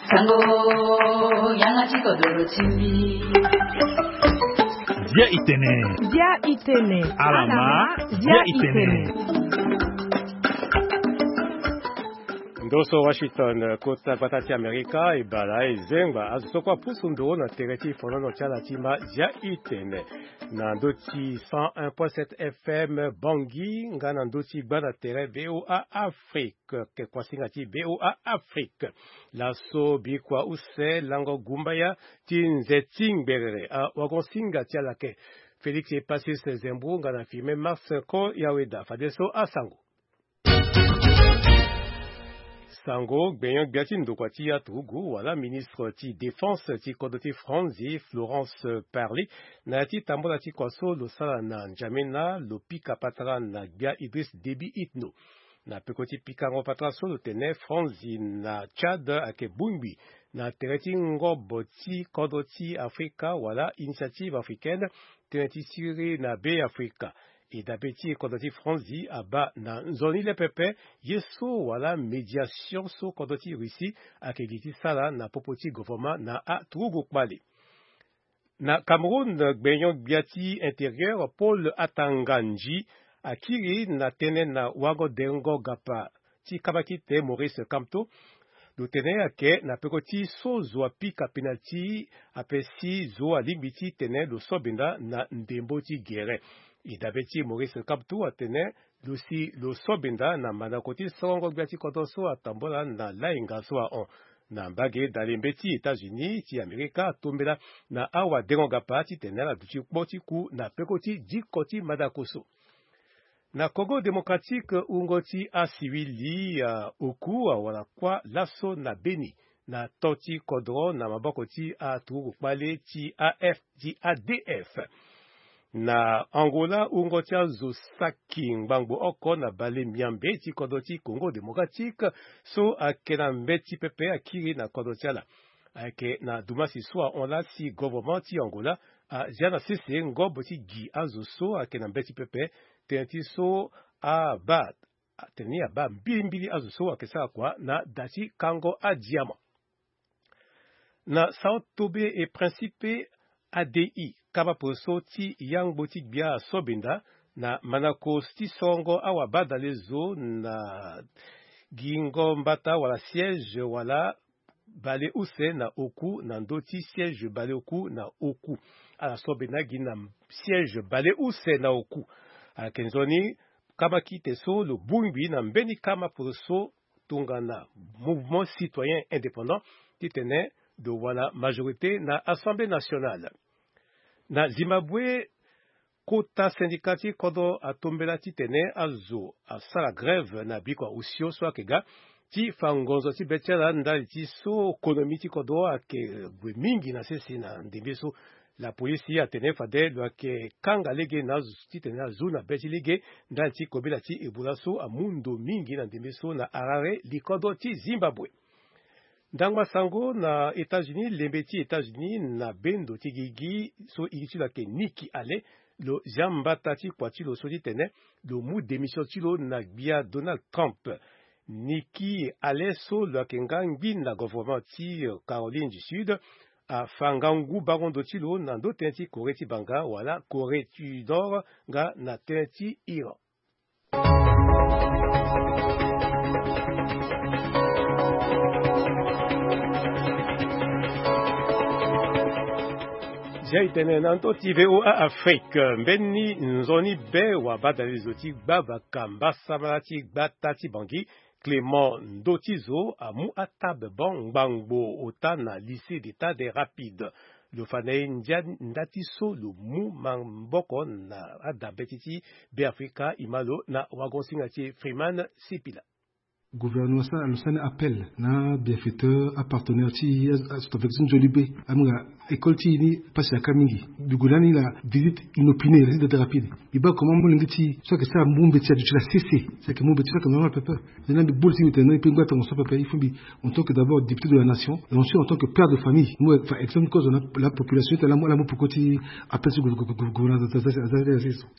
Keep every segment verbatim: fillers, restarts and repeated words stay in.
Sango, yanga ti kodoro ti mbi. Bia itene. Bia itene. Alama. Bia itene. Ndo so Washington, kota gbata ti Amerika, e bala e zengba azo so kue apusu ndoro na tere ti fonono ti ala ti ma Zia itene. Na ndö ti cent un point sept F M Bangui, nga na ndö ti gba na tere V O A Afrique, ke kuasinga ti V O A Afrique. Laso bikua use lango gumbaya ti nze ti ngberere, awagon-singa ti ala ke Félix Epacis Zembrou nga na Firmin Marcin Ko Yaweda. Fadeso asango. Sango, gbenyo-gbia ti ndokua ti aturugu wala ministre ti défense ti kodro ti Franzi, Florence Parly, na ya ti tambula ti kua so lo sara na N'Djamena, lo pika patara na gbia Idriss Déby Itno. Na peko ti pikango patara so lo tene Franzi na Tchad ayeke bongbi na tere ti ngobo ti kodro ti Afrika wala Initiative Africaine, tënë ti siriri na Be Afrika. E dabe ti kodro ti Franzi abaa na nzoni le pepe ye so wala médiation so kodro ti Russie ayeke gi ti sara na popo ti govoroma na aturugu kpale. Na Cameroun, gbenyo-gbia ti intérieur Paul Atanga Ndji akiri na tënë na wago dengo gapa ti kabakite Maurice Kamto. Lo tene ayeke na peko ti so zo apika penalti, ape si zo alingbi ti tene lo so benda na ndembo ti gere. E dabe ti Maurice Kamto atene lo si lo so benda na mandako ti sorongo-gbia ti kodro so atambula na lainga so ahon. Na mbage dale mbeti États-Unis ti Amerika atombela na awadengo gapa titene ala duti kpo ti ku na peko ti diko ti mandako so. Na Congo Démocratique, wungo ti asiwili, ah, oku, ah, awara kuâ laso na Beni na to ti kodro na maboko ti aturugu kpale ti A F, ti A D F. Na Angola, wungo ti azo saki ngbangbo oko na bale miambe ti kodro ti Congo Démocratique so ayeke na mbeti pepe akiri na kodro ti ala. Ayeke na dumasi so ahon laa si governement ti Angola azia na sese ngobo ti gi azo so ayeke na mbeti pepe, tënë ti so abaa, tene ni abaa mbilimbili azo so ayeke sara kua na da ti kango adiama. Na São Tomé et Príncipe, A D I, kama poroso ti yangbo ti gbia asobenda na manako ti sorongo awabadale zo na gingo mbata wala siège wala baleuse na oku na ndö ti siège baleoku na oku. Ala so bena gi na siège baleuse na oku. Ayeke nzoni kamakite so lo bongbi na mbeni kama poroso tongana Mouvement Citoyen Indépendant titene lo wara majorité na Assemblée Nationale. Na Zimbabwe, kota syndicat ti kodro atombela titene azo asara grève na bikua osio so ayeke ga ti fa ngonzo ti be ti ala ndali ti so konomi ti kodro ayeke gue mingi na sese na ndembe so. Lapolisi atene fade lo yeke kanga lege na azo titene azu na be ti lege ndali ti kobela ti Ebola so amu ndo mingi na ndembe so na Harare, likodro ti Zimbabwe. Ndangba sango na États-Unis, lembe ti États-Unis na bendo ti gigi so iri ti lo ayeke Nikki Haley, lo zia mbata ti kua ti lo so titene lo mu démission ti lo na gbia Donald Trump. Nikki Haley so lo yeke nga ngbi na governement ti, euh, Caroline du Sud, afa ngangu bango ndo ti lo na ndö tënë ti Corée ti banga wala Corée du Nord nga na tënë ti Iran. Zia e tene na ndö ti V O A Afrique, mbeni nzoni be wabadale zo ti gbabaka mbasambala ti gbata ti Bangui, Clément Ndotizo amu atabe bon ngbangbo ota na lycée d'État des Rapides. Lo fa na e ndia nda ti so lo mu maboko na adabe ti ti Beafrika, e ma lo na wagon-singa ti Freeman Sipila. Gouvernement asara lo sani appel na bienfaiteur, apartenaire ti azo ti nzoni be, amu nga École ti e ni pasi na ka mingi. Mbi gue lani la visite inopinée, la visite rapide. Mbi baa comment molenge ti e so ayeke sara mu mbeti aduti la sese. Si ayeke mu mbeti so ayeke normal pepe. Ni la mbi gbu li ti mbi tene non, e peut ngba tongaso pepe. Il faut mbi, en tant que d'abord député de la nation, et ensuite en tant que père de famille, mu, enfin, exemple ti kozo na la population ti tene la mu, la mu peko ti appel ti gouvernement.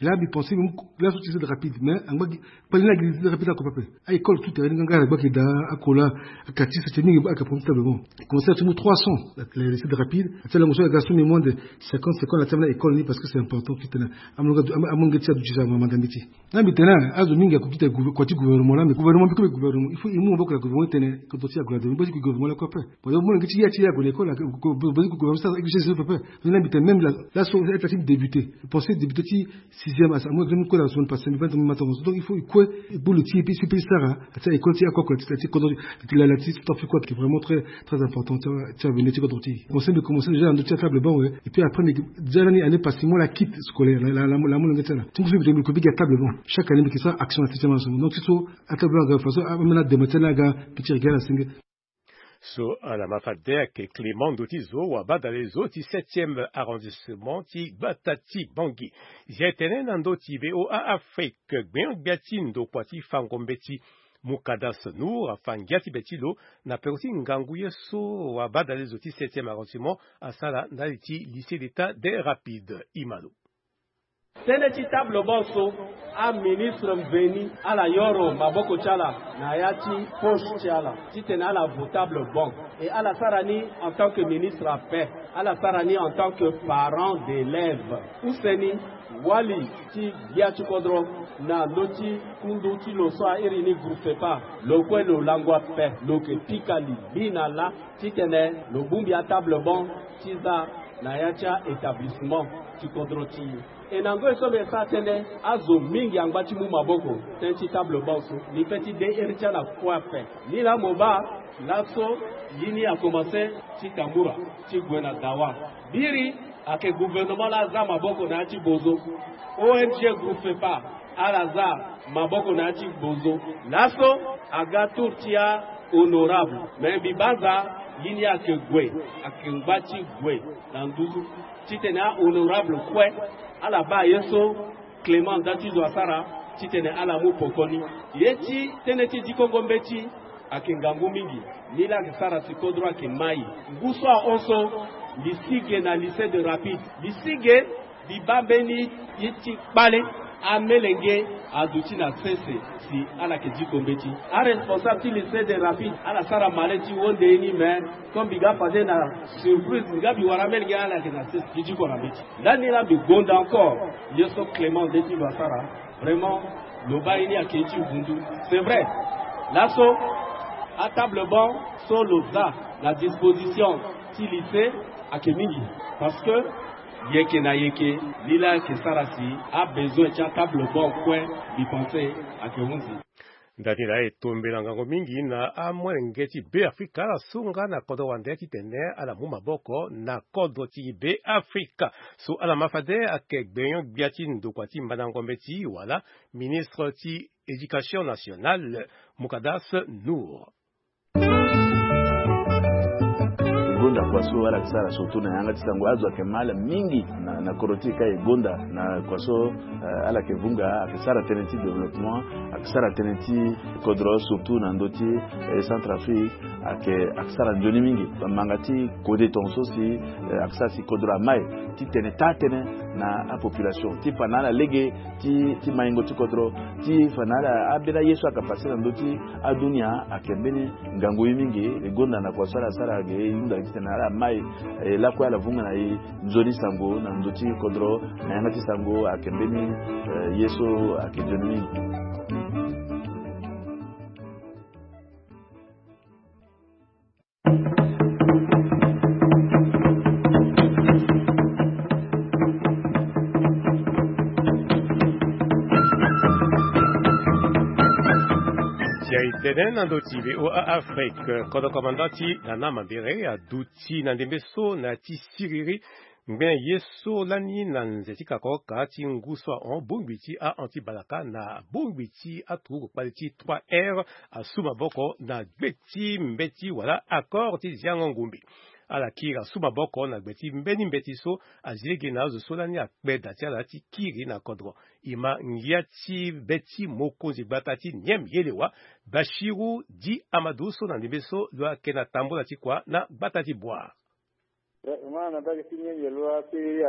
Là mbi pensé mbi mu la so ti visite rapide, mais angba gi Pali na gi lycée rapide ako pepe. A école tout terrain ni nga nga la gba ki da ako la. Akati sa ti mingi ba aka premier table bon. Commencé à ti mu trois cents. La lycée rapide. Ati la ngoso la garçon mais moins de cinquante secondes la ti amena école ni parce que c'est important ki tena. Amonga amonga ti adu déjà ma madame ti. Na mbi tena azo mingi ako kita gouver- kwa ti gouvernement la mais gouvernement biko be gouvernement. Il faut imu maboko la gouvernement tena ko doti ya gouvernement basi ko gouvernement la ko pe. Bon yo mo ngi ti ya ti ya ko l'école la ko basi ko gouvernement sa exige pepe. Na mbi tena même la la so état ti débuté. Pensé débuté ti sixième asa amu examen kue la semaine passée mbi bani tena mbi ma tongaso. Donc il faut e kue e gbu lo ti e pe e si pe e sara ati école ti akoko ti ti kodro ti lala ti stop ti kue qui est vraiment très très important ti ti avenir ti kodro ti e. Conseil mbi commencé déjà na ndö ti atable banc we. Et puis après mbi déjà lani année passée mo la kit scolaire la la la mo la mo lenge ti ala ti ngu so mbi tena mbi ko bigi atable banc. Chaque année mbi ke sara action na septième enseignement donc ti so atable banc aga façon amena dema ti ala aga petit regard asenge. So ala ma fade ayeke Clément ndo ti zo wabadale zo ti septième arrondissement ti gbata ti Bangui. Zia e tene na ndö ti V O A Afrique gbenyo-gbia ti ndokua ti fango mbeti Mukadas Nour afa ngia ti be ti lo na peko ti ngangu ye so wabadale zo ti septième arrondissement asara ndali ti lycée d'état des rapides. Imalo. Tënë ti table banc so aministre mveni ala yoro maboko ti ala na ya ti poche ti ala titene ala vo table banc. E ala sara ni en tant que ministre ape, ala sara ni en tant que parent d'élève. Use ni wali ti gbia ti kodro na ndö ti kundu ti lo so a iri ni groupe fepa, lo kue lo langua ape, lo yeke pika li bi na lâ titene lo bongbi atable banc ti za na ya ti a-établissement ti kodro ti e. E na ngoi so mbi sara tënë azo mingi angba ti mu maboko tënë ti table banc so. Mbi pe ti de iri ti ala kue ape. Ni laa mo baa laso li ni akomanse ti Tamura ti gue na Dawa. Biri ayeke gouvernement laa aza maboko na ya ti Bozo. O N G groupe fepa ala za maboko na ya ti Bozo. Laso aga tour ti a-honorable. Me mbi banza li ni ayeke gue, ayeke ngba ti gue na nduzu titene a-honorable kue ala baa ye so Clément nda ti zo asara titene ala mu poko ni. Ye ti tënë ti dikongo mbeti ayeke ngangu mingi. Ni laa ayeke sara si kodro ayeke mai. Ngu so ahon so mbi si ge na lycée de rapide. Mbi si ge mbi baa mbeni ye ti kpale amelenge aduti na sese si ala yeke diko mbeti. Aresponsable ti lycée de rapide ala sara male ti wonde ye ni me comme mbi ga fade na surprise mbi ga mbi wara amelenge ala yeke na sese mbi diko na mbeti. Ndani laa mbi gonda encore ye so Clément nde ti lo asara. Vraiment lo baa ye ni ayeke ye ti vundu. C'est vrai laso atable banc so lo za na disposition ti lycée ayeke mingi. Parce que yeke na yeke ni laa ayeke sara si abezoin ti atable banc kue mbi pense ayeke hunzi. Ndani laa e tombela ngango mingi na amolenge ti Beafrika ala so nga na kodro wande titene ala mu maboko na kodro ti Beafrika. So ala ma fade ayeke gbenyo-gbia ti ndokua ti mandango mbeti wala ministre ti éducation nationale Mukadas Nour. E gonda kua so ala yeke sara surtout na yanga ti sango azo ayeke ma ala mingi na, na kodro ti e ka e gonda na kua so, eh, ala yeke vunga ayeke sara tënë ti développement, ayeke sara tënë ti kodro surtout na ndö ti, eh, Centrafrique. Ayeke, ayeke sara nzoni mingi. Bamanga ti kode tongaso si, eh, ayeke sara si kodro amai ti tene taa tënë na apopulation ti fa na ala lege ti, ti maingo ti kodro ti fa na ala ambeni aye so ayeke pase na ndö ti adunia ayeke mbeni ngangu ye mingi. E gonda na kua so ala sara ge e hunda titene ala mai, eh, lakue ala vunga na e nzoni sango na ndö ti kodro na yanga ti sango ayeke mbeni, eh, ye so ayeke nzoni mingi. Si aye tene na ndö ti V O A Afrique, kodro commandant ti Nana Mambere aduti na ndembe so na ya ti siriri ngbene ye so lani na nze ti kakoroka ti ngu so ahon bongbi ti ahon ti balaka na bongbi ti aturuku kpale ti trois R asu maboko na gbe ti mbeti wala accord ti ziango ngumbi. ala kiri asu maboko na gbe ti mbeni mbeti so azi lege na azo so lani akpe da ti ala ti kiri na kodro. E ma ngia ti be ti mokonzi gbata ti Niem Yelewa, Bashiru Di Amadou, so na ndembe so lo yeke na tambula ti kua na gbata ti Bouar. Vraiment na mbage ti Niem Yelewa si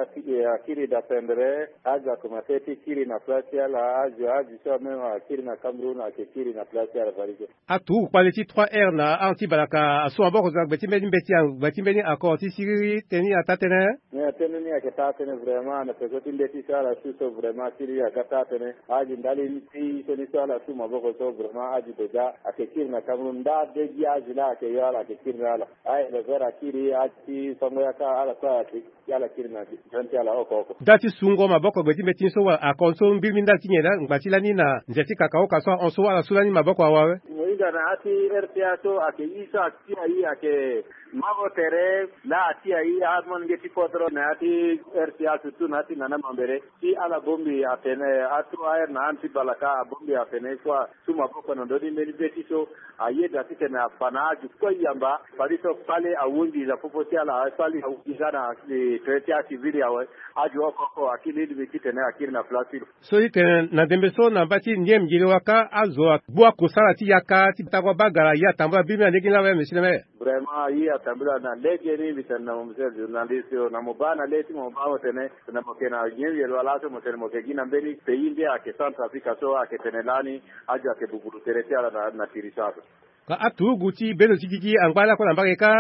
akiri da pendere, azo akomanse ti kiri na place ti ala, azo azo so même akiri na Cameroun ayeke kiri na place ti ala. Valise. Aturugu kpale ti trois R na anti balaka asu maboko zo na gbe ti mbeni mbeti, gbe ti mbeni accord ti siriri teni ata tënë. Ni atene ni ayeke taa tënë vraiment na peko ti mbeti so ala su so vraiment siriri aga taa tënë. Azi ndali ti so ni so ala su maboko so vraiment azi déjà ayeke kiri na Cameroun nda de gi azi laa ayeke yo ala ayeke kiri na ala. Aéleveur akiri, azi ti fango yaka ala kue ayeke ala kiri na zone ti ala oko oko. Nda ti sungo maboko gbe ti mbeti ni so wala accord so mbirimbiri nda ti nyen laa ngba ti lani na nze ti kakaoka so ahon so ala su lani maboko awe? Mo hinga na ya ti R T A so ayeke ye so atia ye ayeke mango tere laa atia ye amolenge ti kodro na ya ti R T A surtout na ya ti nana mambere. Si ala bongbi atene ato aere na ande ti balaka abongbi atene so asu maboko na ndö ti mbeni be ti so ayeda titene afa na azo kue yamba. Fade so kpale awunzi na popo ti ala, kpale awunzi nga na eh, tere ti acivil awe. Azo oko oko akiri lingbi titene akiri na place ti lo. So ti tene na ndembe so na mba ti Niem Yelewa kâ azo agbu akosala ti yaka ti tago abagara ye atambula biri na lege ni laa awe, monsieur le maire? Vraiment ye atambula na lege ni. Mbi tene na mo monsieur le journaliste, na mo baa na le ti mo baa mo tene na mo yeke na Niem Yelewa laso mo tene mo yeke gi na mbeni pays nde ayeke Centrafrique so ayeke tene lani azo ayeke buburu tere ti ala na, na tiri so ape. Ka aturugu ti bendo ti gigi angba lakue na mbage kâ?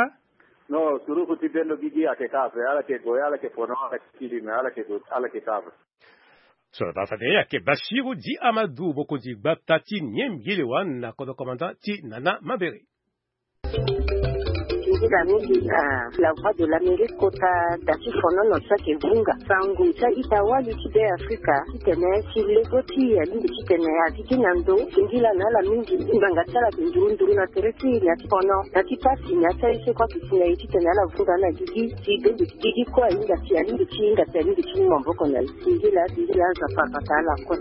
Non, turugu ti bendo gigi ayeke kâ ape, ala yeke gue ala yeke fono ala yeke kiri me ala yeke gue ala yeke kâ ape. So na baa fade ayeke Bashiru Di Amadou, mokonzi gbata ti Niem Yelewa na kodro commandant ti nana mambere. Nzila mingi na La Voix de l'Amérique kota da ti fonono so ayeke vunga sango ti a-ita wali ti Be Afrika titene si lego ti e alingbi titene azi gi na ndo singila na ala mingi. Ngbanga ti ala ayeke nduru nduru na tere ti e na ya ti fono na ya ti pasi na ya ti aye so kue ayeke si na e titene ala vunga na gigi si bendo ti gigi kue ahinga si alingbi ti hinga si alingbi ti mu maboko na e. Singila singila aza fabata ala kue.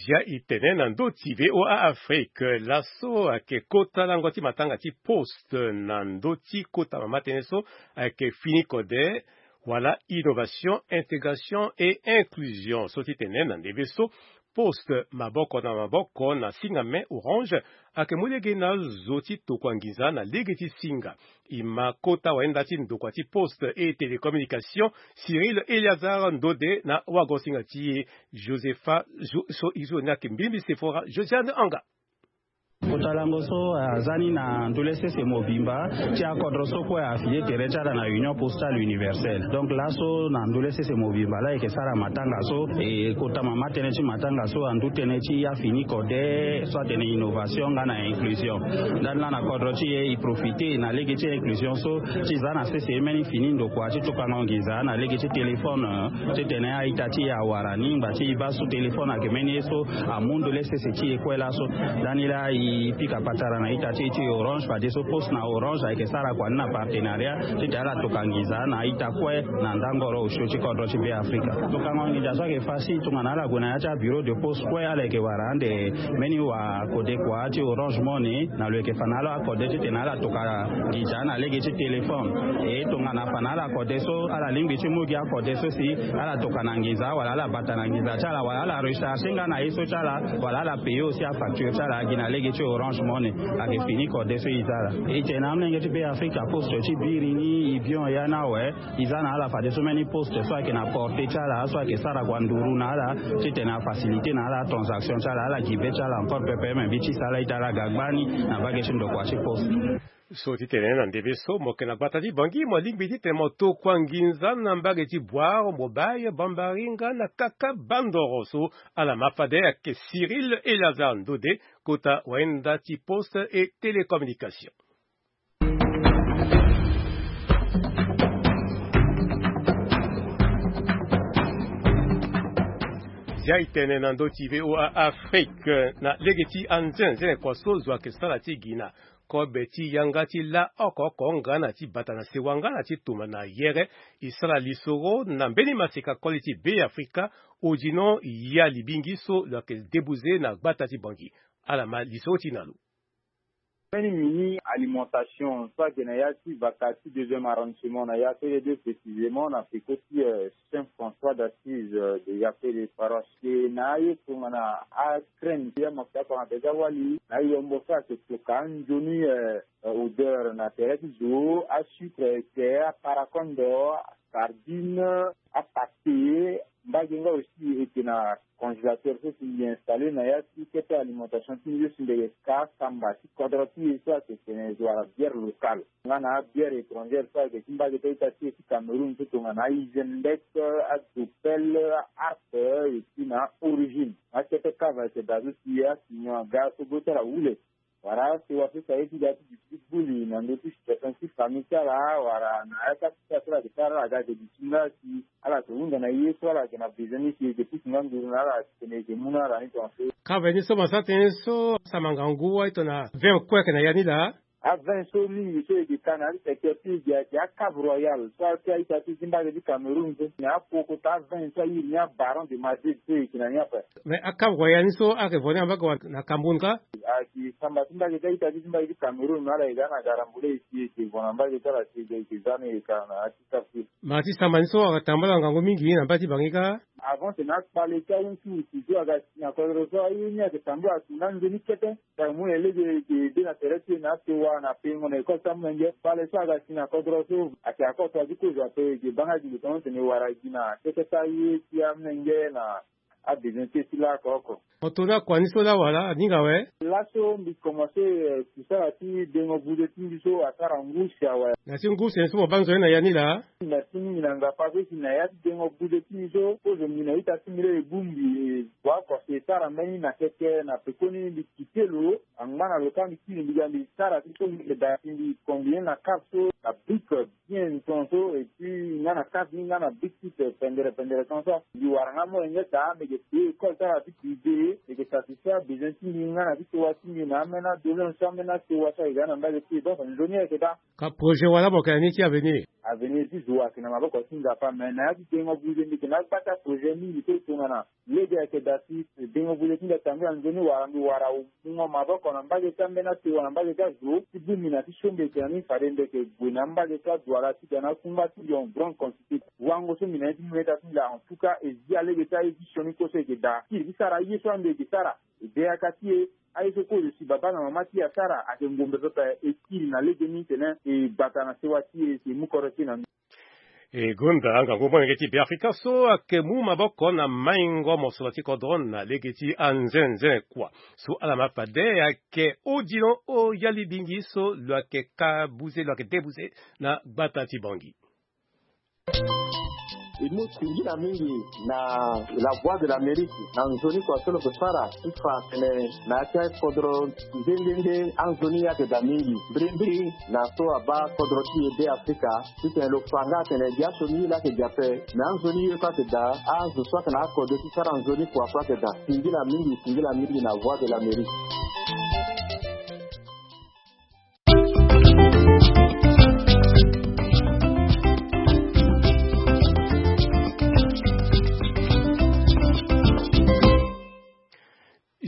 Zia e tene na ndö ti V O A Afrique laso ayeke kota lango ti matanga ti poste na ndö ti kota mama tënë so ayeke fini kode wala innovation, intégration et inclusion. So ti tene na ndembe so poste maboko na maboko na singa me Orange ayeke mu lege na zo ti tokua nginza na lege ti singa. E ma kota wayenda ti ndokua ti poste et télécommunication Cyril Éliazar Ndode na wago singa ti e Josepha Jo-, so e zo ni ayeke mbirimbiri Sephora Josiane Anga. Kota lango so aza ni na ndule sese mobimba ti akodro so kue afini tere ti ala na Union Postale Universelle. Donc laso na ndule sese mobimba laa e yeke sara matanga so, e kota mama tënë ti matanga so andu tënë ti afini kode so atene innovation nga na inclusion. Ndani laa na kodro ti e e profite na lege ti inclusion so ti za na sese mbeni fini ndokua ti tokango nginza na lege ti téléphone, titene a-ita ti e awara ni ngba ti e baa so téléphone ayeke mbeni ye so amu ndule sese ti e kue laso. Ndani laa e pika patara na ita ti e ti Orange fadeso poste na Orange ayeke sara kua ni na partenariat titene ala toka nginza na ita kue na ndangoro osio ti kodro ti Be Afrika. Tokango nginza so ayeke fâ si tongana ala gue na ya ti abureau de poste kue ala yeke wara ande mbeni wakode kua ti Orange Money na lo yeke fa na ala akode titene ala toka nginza na lege ti téléphone. E tongana afa na ala akode so ala lingbi ti mu gi akode so si ala toka na nginza wala ala bata na nginza ti ala wala ala recharger nga na ye so ti ala wala ala payer aussi afacture ti ala gi na lege ti Orange Money. Ayeke fini kode so e za ala. E tene na amolenge ti Be Afrika poste ti biri ni e bion ya ni awe. E za na ala fadeso mbeni poste so ayeke na portée ti ala so ayeke sara kua nduru na ala titene afacilité na ala atransaction ti ala ala gi be ti ala encore pepe me mbi ti sala ita ala ga gbani na mbage ti ndokua ti poste. So titene na ndembe so mo yeke na gbata ti Bangui mo lingbi titene mo tokua nginza na mbage ti Bouar, Mobile, Bambari nga na Kaka Bandoro so ala ma fade ayeke Cyril Éliazar Ndode kota wayenda ti poste et télécommunication. Zia e tene na ndö ti V O A Afrique na lege ti anzenze kua so zo ayeke sara ti gi na kobe ti yanga ti la oko oko nga na ti bata na sewa nga na ti tuma na yere e sara lisoro na mbeni maseka koli ti Be Afrika. Odino ya libingi so lo yeke debuze na gbata ti Bangui. Ala ma lisoro ti na lo. Mbeni mini alimentation so ayeke na ya ti Baka ti deuxième arrondissement na ya Pele deux, précisément na peko ti Saint François d'Assise de ya Pele paroisse. E na aye tongana acrème ti amafuta apara na tere ti awali na ayombo so ayeke toka anzoni odeur na tere ti zo, asucre eke, aparakondo, asardine, apate. Mbage nga aussi eke na congélateur so si mbi installé na ya ti kete alimentation ti mbi so si mbi yeke ka samba ti kodro ti e so ayeke tene zo wala bière locale nga na abière étrangère so ayeke ti mbage ti a-ita ti e ti Cameroun so tongana a-Isenbeck, a-Doppel, a-Hart, et puis na Origine. Akete kava ayeke daa so si asinyon aga so go ti ala wule. Wala asewa so si aye ti ga ti duti ti gbuli na ndö ti situation ti famille ti ala wala na ya ti akita so ala yeke sara ala ga ayeke duti nga si ala yeke hunda na ye so ala yeke na besoin ni si e yeke pusu nga nduru na ala si tene e yeke mu na ala ni tongaso. Kave ni so mo sara tënë so asara ngangu wâ e tongana vingt kue ayeke na ya ni laa. Avin so mingi so e yeke ka na ya ti secteur ti e gi ayeke acave royal so ake a-ita ti e ti mbage ti Cameroun so na apoko ta avin so a iri ni abaron de Madrid so e yeke na ni ape. Mais acave royal ni so ayeke vo ni na mbage wala na Cameroun kâ? Ayeke samba ti mbage ti a-ita ti e ti mbage ti Cameroun me ala yeke ga na garambula e si e yeke vo na mbage ti ala si e yeke za ni e yeke ka na ya ti kâ ti e. Ma ti samba ni so ayeke tambula ngangu mingi na mbage ti Bangui kâ? Avant tene akpale ti awusuwusu so aga si na kodro so aye ni ayeke tambula si na nzoni kete. Tara mu na lege eke de na tere ti e na asewa na pengo na école ti amolenge. Kpale so aga si na kodro so ayeke akoto wa ti kozo ape eke baa nga gi lo tongaso tene e wara gi na kete ti aye ti amolenge na abezoin ti e ti laoko oko. Mo to ni akua ni so laa wala aninga awe? Laso mbi komanse kusala ti dengo buze ti mbi so asara ngu si awe. Na ti ngu si ni so mo baa nzoni na ya ni laa? Merci mingi na ngapa so si na ya ti dengo buze ti mbi so kozo mbi na ita ti mbi laa e bongbi e bua oko si e sara mbeni na keke na pekoni mbi kite lo. Angba na lo kâ mbi kiri mbi ga mbi sara ti so mbi yeke daa si mbi combine na cave so na brique bien tongaso et puis nga na cave ni nga na brique ti pendere pendere tongaso. Mbi wara nga molenge daa mbi yeke payé école ti ala ti privé mbi yeke satisfaire abesoin ti mbi nga na ti sewa ti mbi na ambeni adoléance so ambeni asewa so ayeke ga na mbage ti e donc nzoni ayeke daa. Ka projet wala mo yeke na ni ti avenir? Avenir ti zo ayeke na maboko ti nzapa me na ya ti dengo buze mbi yeke na agba ti aprojet mingi so tongana lege ayeke daa si dengo buze ti mbi atambula nzoni wala mbi wara mungo maboko na mbage ti ambeni asewa na mbage ti azo ti bongbi na ti so mbi yeke na ni fade mbi yeke gue na mbage ti adwala ti ga na akungba ti lion grande quantité. Wango so mbi na ye ti mu na ita ti mbi laa en tout cas e zi alege ti aye ti sioni kue so e yeke daa kiri ti sara aye so ande e yeke sara. E de yaka ti e aye so kozo si babâ na mama ti e asara ayeke ngombe pepe e kiri na legeni tene e gbata na sewa ti e si e mu kodro ti e na ni. E gonda ngangu molenge ti Beafrika so ayeke mu maboko na maingo mosoro ti kodro na lege ti anzenze kua so ala ma fade ayeke Odilon Oyalibingi so lo yeke ka buze lo yeke de buze na gbata ti Bangui. E mu singila mingi na La Voix de l'Amérique na nzoni kua so lo yeke sara ti fa atene na ya ti akodro nde nde nde anzoni ayeke daa mingi mbirimbiri na so abaa kodro ti e Beafrika titene lo fa nga atene gi asioni ye laa ayeke gi ape. Me anzoni ye so ayeke daa azo so ayeke na akode ti sara nzoni kua so ayeke daa. Singila mingi singila mingi na Voix de l'Amérique.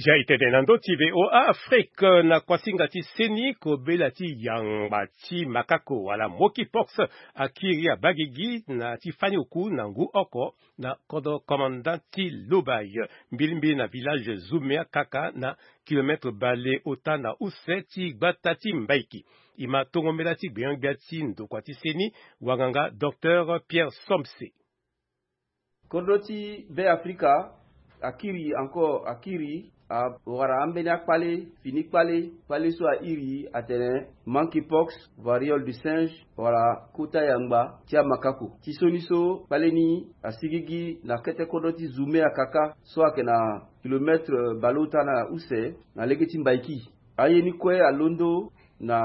Ja itene na ndö ti VOA Afrique na kuasinga ti seni kobela ti yangba ti makako wala monkeypox akiri abagigi na ti fani oku na ngu oko na kodro commandant ti Lobaye mbilimbili na village Zumea kaka na kilometre bale ota na use ti gbata ti Mbaiki. E ma tongo mbela ti gbenyo-gbia ti ndokua ti seni wanganga docteur Pierre Somse. Kodro ti Be Afrika akiri encore akiri awara ambeni akpale fini kpale kpale so airi atene monkeypox, variole du singe wala kota yangba ti amakako ti soni so kpale ni asigigi na kete kodro ti Zumea kaka so ayeke na kilometre bale ota na use na lege ti Mbaiki. Aye ni kue alondo na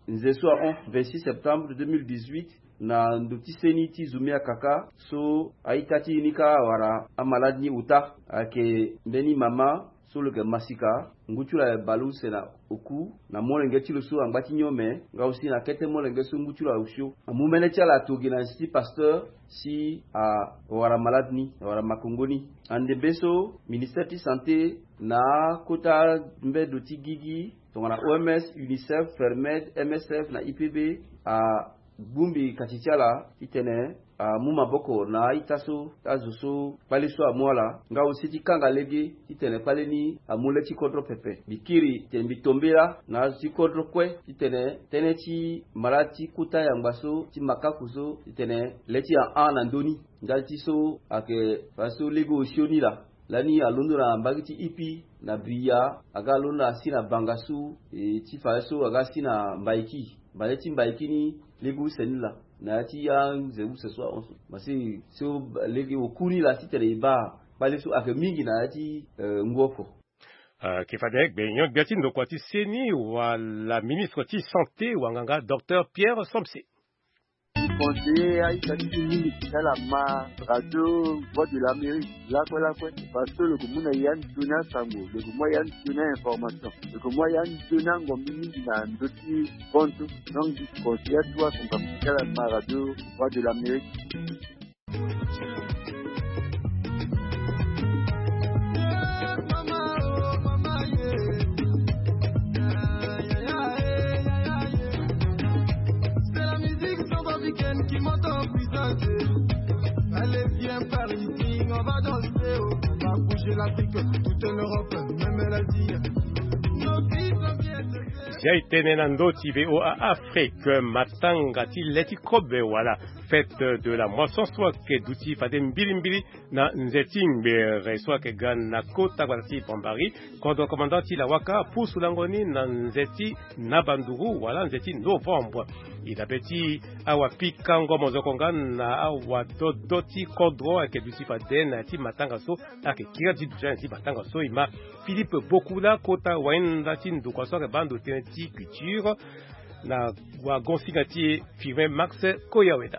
nze so ahon vingt-six septembre deux mille dix-huit na ndo ti seni ti Zumea kaka so a-ita ti e ni kâ awara amalade ni ota ayeke mbeni mama so lo yeke masika ngu ti lo ayeke baleuse na oku na molenge ti lo so angba ti nyon me nga aussi na kete molenge so ngu ti lo aosio. Amu mene ti ala ato gi na zi ti pasteur si awara malade ni, awara makongo ni. Andembe so ministère ti santé na akota mbedo ti gigi tongana oms, unicef, fermed, msf na ipb a bongbi kati ti ala titene amu maboko na a-ita so, azo so kpale so amu ala nga aussi ti kanga lege titene kpale ni amu le ti kodro pepe. Mbi kiri titene mbi tombe laa na azo ti kodro kue titene tënë ti malade ti kota yangba so ti makaku so titene le ti ahon na ndö ni. Ndali ti so ayeke fadeso lege osio ni laa. Lani alondo na mbage ti ipi na briya aga alondo asi na bangasu, e ti fadeso aga si na mbaiki. Bale ti mbaiki ni lege use ni laa na ya ti anze use so ahon so. Ma si so lege oku ni laa titene e baa kpale so ayeke mingi na ya ti eh, ngu oko. Ayeke fade gbenyo gbia ti ndokua ti seni wala ministre ti santé wanganga docteur Pierre Somse. Conseiller a-ita ti e mingi ti ala ma radio Voix de l'Amérique lakue lakue. Parce que lo yeke mu na e ande sioni asango, lo yeke mu a e ande sioni a-information, lo yeke mu a e ande sioni angombi mingi na ndö ti konto. Donc mbi conseiller atuwa asango amu ti ala ma radio Voix de l'Amérique. Zia e tene na ndö ti V O A Afrique, matanga ti le ti kobe wala fête de la moisson so ayeke duti fade mbilimbili na nze ti ngbere so ayeke ga na kota gbata ti Bambari. Kodro commandant ti Lawaka apusu lango ni na nze ti Nabanduru wala nze ti novembre. E dabe ti awapikango mozoko nga na awadodo ti kodro ayeke duti fade na ya ti matanga so ayeke kiri ti duti na ya ti matanga so e ma Philippe Bokula kota wahinda ti ndokua so ayeke baa ndo tënë ti culture na wagonsinga ti e Firmin Max Koyaweda.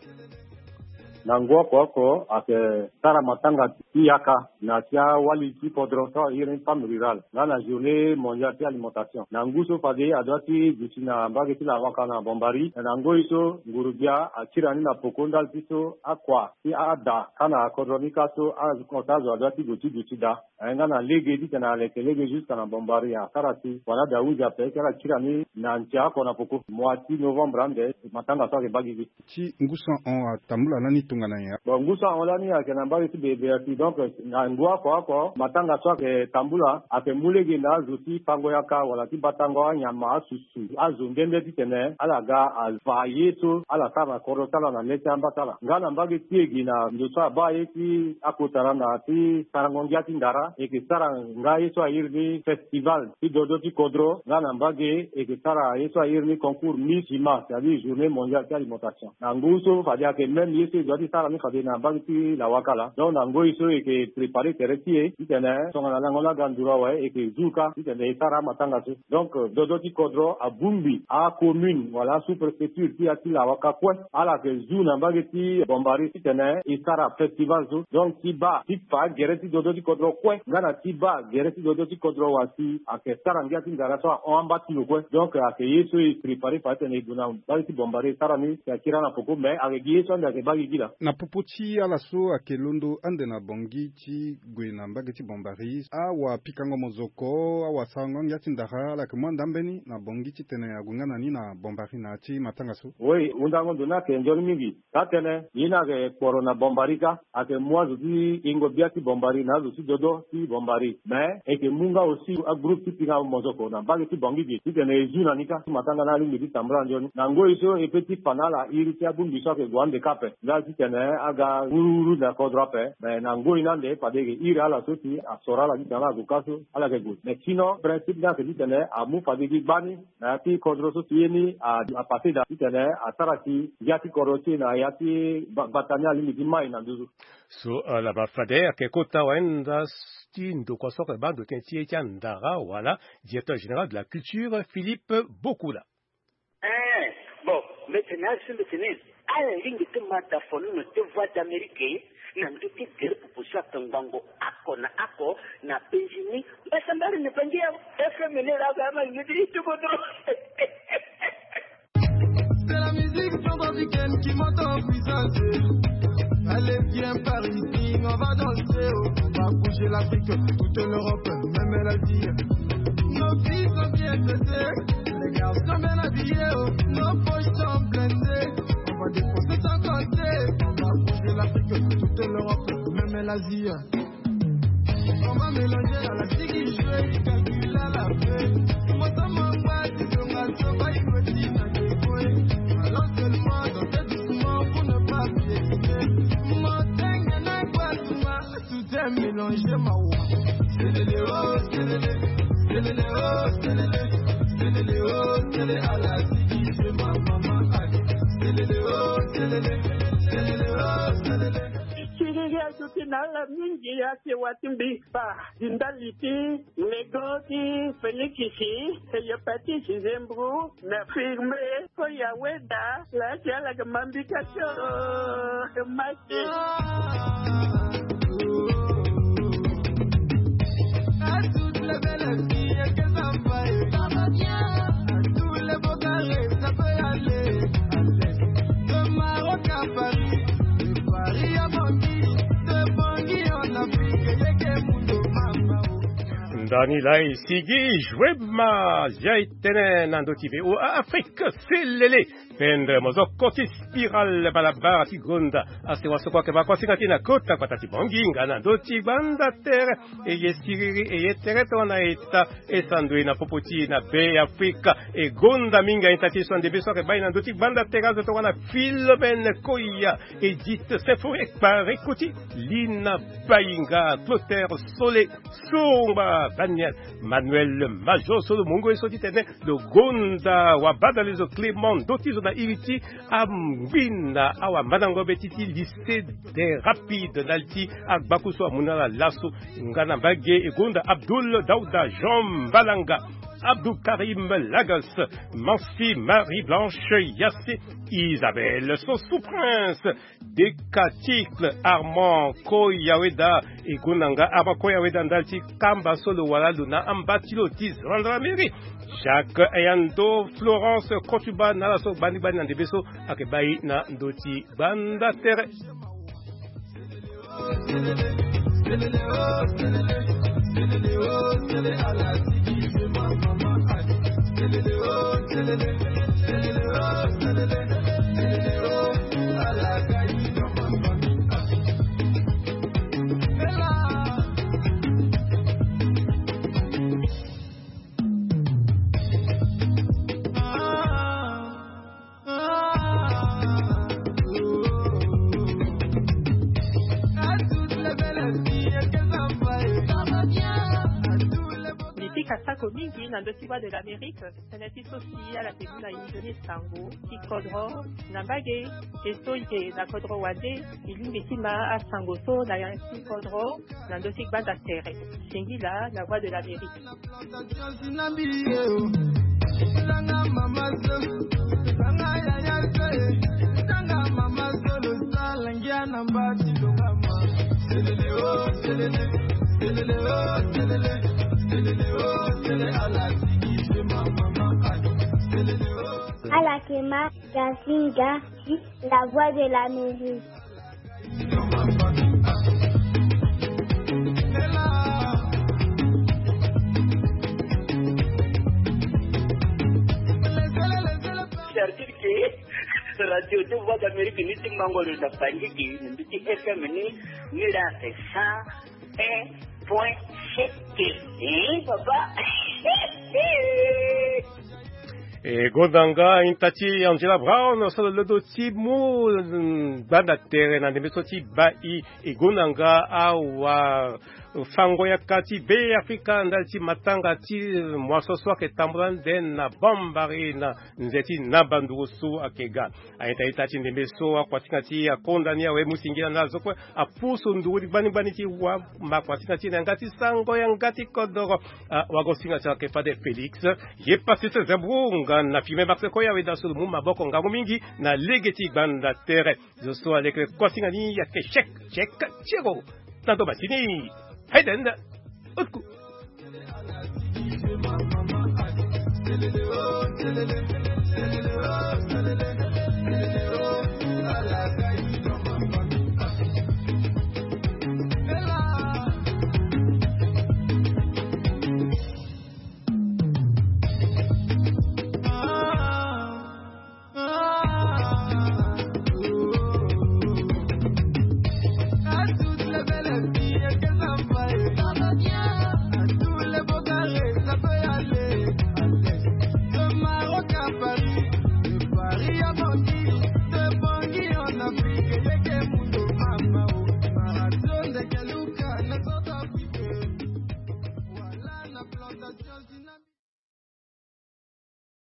Na ngu oko oko ayeke sara matanga ti yaka na ya ti awali ti kodro so airi ni femme rurale nga na journée mondiale ti alimentation. Na ngu so fade adua ti duti na mbage ti Lawaka na Bambari, na ngoi so nguru-gbia akiri ni na poko ndali ti so akua ti ada kâ na kodro ni kâ so azo adua ti gue ti duti daa. Aye nga na lege titene aleke lege jusqu'à na Bambari asara si wala daa hunzi ape ti ala kiri ni na ntia oko na poko. Mois ti novembre ande matanga so ayeke baa gigi. Ti ngu so ahon atambula lani tongana nyen? Bon, ngu so ahon lani ayeke na mbage ti Bebeyaki. Donc na ngu oko oko matanga so ayeke tambula ayeke mu lege na azo ti pango yaka wala ti batango anyama, asusu, azo nde nde titene ala ga ava ye so ala sara na kodro ti ala na le ti amba ti ala. Nga na mbage ti e gi na ndo so abaa ye ti akotara na ti sarango ngia ti ndara, e yeke sara nga ye so airi ni festival ti dodo ti kodro. Nga na mbage e yeke sara ye so airi ni concours Miss Humain, c'est-à-dire journée mondiale ti alimentation. Na ngu so fade ayeke même ye so e dua ti sara ni fade na mbage ti Lawaka laa. Donc na ngoi so e yeke préparer tere ti e titene tongana lango ni aga nduru awe e yeke zu kâ titene e sara amatanga so. Donc dodo ti kodro abongbi acommune wala asous-préfecture ti ya ti Lawaka kue, ala yeke zu na mbage ti Bambari titene e sara festival so. Donc ti baa ti fa gere ti dodo ti kodro kue nga na ti baa gere ti dodo ti kodro wa si ayeke sara ngia ti ndara so ahon amba ti lo kue. Donc ayeke ye so e préparer fa titene e gue na mbage ti Bambari e sara ni si akiri na poko, mais ayeke gi ye so ande ayeke baa gigi laa. Na popo ti ala so ayeke londo ande na Bangui ti gue na mbage ti Bambari, awapikango mozoko, awasarango angia ti ndara, ala yeke mu ande ambeni na Bangui titene ague nga na ni na Bambari na ya ti matanga so? Oui, hundango ndo ni ayeke nzoni mingi. Taa-tënë ye ni ayeke kporo na Bambari kâ, ayeke mu azo ti yengo bia ti Bambari na azo ti dodo ti Bambari. Mais e yeke mu nga aussi agroupe ti pinga mozoko na mbage ti Bangui ge titene e zu na ni kâ. Ti matanga ni alingbi ti tambula nzoni. Na ngoi so e peut ti fa na ala iri ti abongbi so ayeke gue ande kâ ape. Nga titene aga wuruwuru na kodro ape. Mais na ngoi ni ande fade e yeke iri ala so si asoro ala titene ala gue kâ so ala yeke gue. Mais sinon principe ni ayeke titene amu fade gi gbani na ya ti kodro so si ye ni a, a passé daa titene asara si ngia ti kodro ti e na ya ti ba, bata ni alingbi ti mai na nduzu. So, euh, laba fade ayeke kota wayenda ti ndokua so ayeke baa ndo tënë ti ye ti andara wala directeur général de la culture Philippe Bokula. Eh, bon, mbeti ni asi mbeti ni. Ala lingbi ti ma da folono ti Voix d'Amérique na ndö ti gere pupu so ake ngbongo oko na oko na penzi ni. Mbasambare na bangi ya F M ni la ga ma ngi ti ti bodo. C'est la musique centrafricaine qui monte en puissance. Allez, viens par ici, on va danser, oh. On va bouger l'Afrique, toute l'Europe, même l'Asie. Nos filles sont bien traitées, les garçons bien habillés, oh. Nos poches sont blindées. On va dépenser sans compter. On va bouger l'Afrique, toute l'Europe, même l'Asie. On va mélanger à la sigi, je vais calculer à la fin. Moi, ça m'envoie, tu peux m'assober, il me dit, t'as des points. Alors seulement, danser doucement pour ne pas piétiner. Mon dingue, n'a pas tout mal. Tout est mélangé, ma wa. Selele, oh, selele, selele, oh, selele, selele, oh, selele, à la sigi, je ma maman, aïe. Selele, oh, selele, selele, oh, selele. Siriri azuti na ala mingi, ake wa ti mbi kpa. Di ndali ti lego ti Felikisi, e ye pati si zembru na firme. Ko ya weda la ti ala ke mambi ka tio. Maki. Ndani la e sigi joue ma zia e tene na ndö ti V O A Afrique. Selele. Pendre mo zo koti spiral balabala ti gonda. Asewa so kue ake baa kue asinga ti na kota gbata ti Bangui nga na ndö ti gbanda tere. E ye siriri e ye tere tongana eta e sandui na popo ti e na Be Afrika. E gonda mingi aita ti e so ande be so ake bai na ndö ti gbanda tere azo tongana Philomène Koya, Edith Sefo, Ekpare Koti, Lina Bayinga, Clotaire Sole, Songba Daniel, Manuel Major so lo mungo e so titene lo gonda wabadale zo Clément ndö ti zo na iri ti angbina awamandango be ti ti lycée des rapides ndali ti agbaku so amu na ala laso. Nga na mbage e gonda Abdoul Daouda, Jean Mbalanga, Abdou Karim Lagas, Mansi, Marie Blanche Yassé, Isabelle so sous prince, Decaticle, Armand Koyaweda, e gonda nga Armand Koyaweda ndali ti kamba so lo wara lo na amba ti lo ti Gendarmerie. Jacques Eyando, Florence Kotuba na ala so gbani gbani na ndembe so ake bai na ndö ti gbanda tere. Mbi pika sako mingi na ndö ti Voix de l'Amérique. Tënë ti so si ala ke mu na inzo ni sango ti kodro na mbage. E so e yeke na kodro wande, e lingbi ti ma asango so na ya ti kodro na ndö ti gbanda tere. Singila na Voix de l'Amérique. Ala ke ma Gazinga, la Voix de l'Amérique. Certitude que radio de Voix d'Amérique ni ti mango lo na Bangui, ni ti F M ni, ni la c'est cent un point sept. Eh, papa. E gonda nga aita ti Angela Brown so lo londo ti mu, mm, gbanda tere na ndembe so ti bai. E gonda nga awa fango ya kati be afrika ndali ti matanga ti moiso so ayeke tambula nde na bambari na nze ti naba nduru so ayeke ga. Ayeta ita ti ndembe so akuasinga ti akonda ni awe mu singila na azo kue apusu nduru ti gbani gbani ti wa ma akuasinga ti na yanga ti sango yanga ti kodoro. Wagosinga ti ayeke fade félix ye pasi ti zebro nga na fime max koya awe da so lo mu maboko ngangu mingi na lege ti gbanda tere. Zo so alekele kosinga ni ayeke chek chek tiero. Na ndo masini. Hayden. Utku.